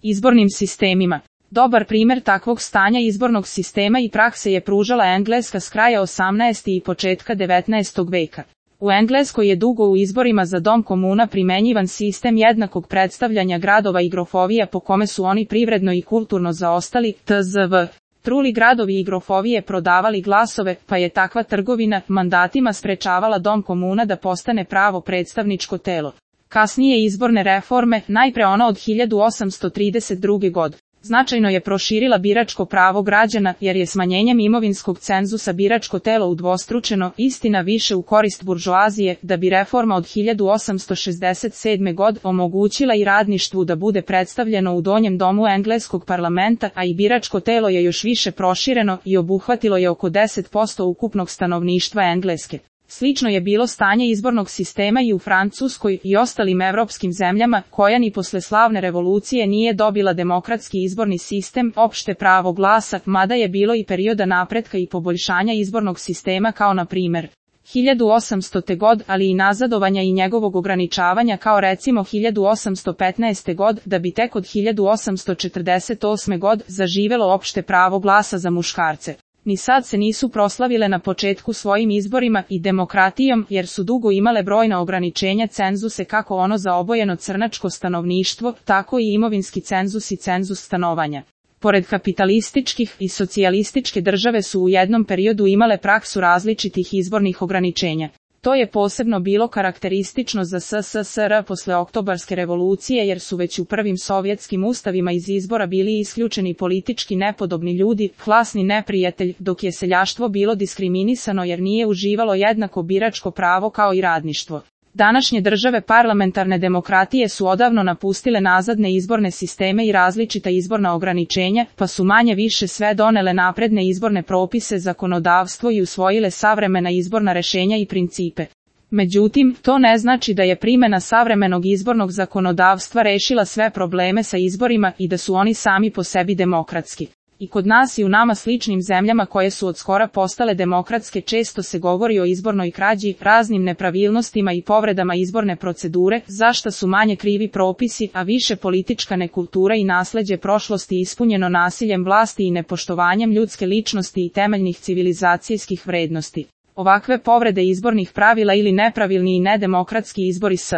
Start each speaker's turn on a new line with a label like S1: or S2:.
S1: izbornim sistemima. Dobar primjer takvog stanja izbornog sistema i prakse je pružala Engleska s kraja 18. i početka 19. veka. U Engleskoj je dugo u izborima za dom komuna primenjivan sistem jednakog predstavljanja gradova i grofovija po kome su oni privredno i kulturno zaostali, tzv. Truli gradovi i grofovije prodavali glasove, pa je takva trgovina mandatima sprečavala dom komuna da postane pravo predstavničko telo. Kasnije izborne reforme, najpre ona od 1832. godine, značajno je proširila biračko pravo građana, jer je smanjenjem imovinskog cenzusa biračko telo udvostručeno, istina više u korist buržoazije, da bi reforma od 1867. godine omogućila i radništvu da bude predstavljeno u donjem domu engleskog parlamenta, a i biračko telo je još više prošireno i obuhvatilo je oko 10% ukupnog stanovništva Engleske. Slično je bilo stanje izbornog sistema i u Francuskoj i ostalim evropskim zemljama, koja ni posle slavne revolucije nije dobila demokratski izborni sistem, opšte pravo glasa, mada je bilo i perioda napretka i poboljšanja izbornog sistema kao na primer 1800. god, ali i nazadovanja i njegovog ograničavanja kao recimo 1815. god, da bi tek od 1848. god zaživelo opšte pravo glasa za muškarce. Ni sad se nisu proslavile na početku svojim izborima i demokratijom, jer su dugo imale brojna ograničenja cenzuse kako ono za obojeno crnačko stanovništvo, tako i imovinski cenzus i cenzus stanovanja. Pored kapitalističkih i socijalističke države su u jednom periodu imale praksu različitih izbornih ograničenja. To je posebno bilo karakteristično za SSSR posle Oktobarske revolucije jer su već u prvim sovjetskim ustavima iz izbora bili isključeni politički nepodobni ljudi, klasni neprijatelj, dok je seljaštvo bilo diskriminisano jer nije uživalo jednako biračko pravo kao i radništvo. Današnje države parlamentarne demokratije su odavno napustile nazadne izborne sisteme i različita izborna ograničenja, pa su manje više sve donele napredne izborne propise, zakonodavstvo i usvojile savremena izborna rešenja i principe. Međutim, to ne znači da je primjena savremenog izbornog zakonodavstva rešila sve probleme sa izborima i da su oni sami po sebi demokratski. I kod nas i u nama sličnim zemljama koje su od skora postale demokratske često se govori o izbornoj krađi, raznim nepravilnostima i povredama izborne procedure, za šta su manje krivi propisi, a više politička nekultura i nasleđe prošlosti ispunjeno nasiljem vlasti i nepoštovanjem ljudske ličnosti i temeljnih civilizacijskih vrednosti. Ovakve povrede izbornih pravila ili nepravilni i nedemokratski izbori s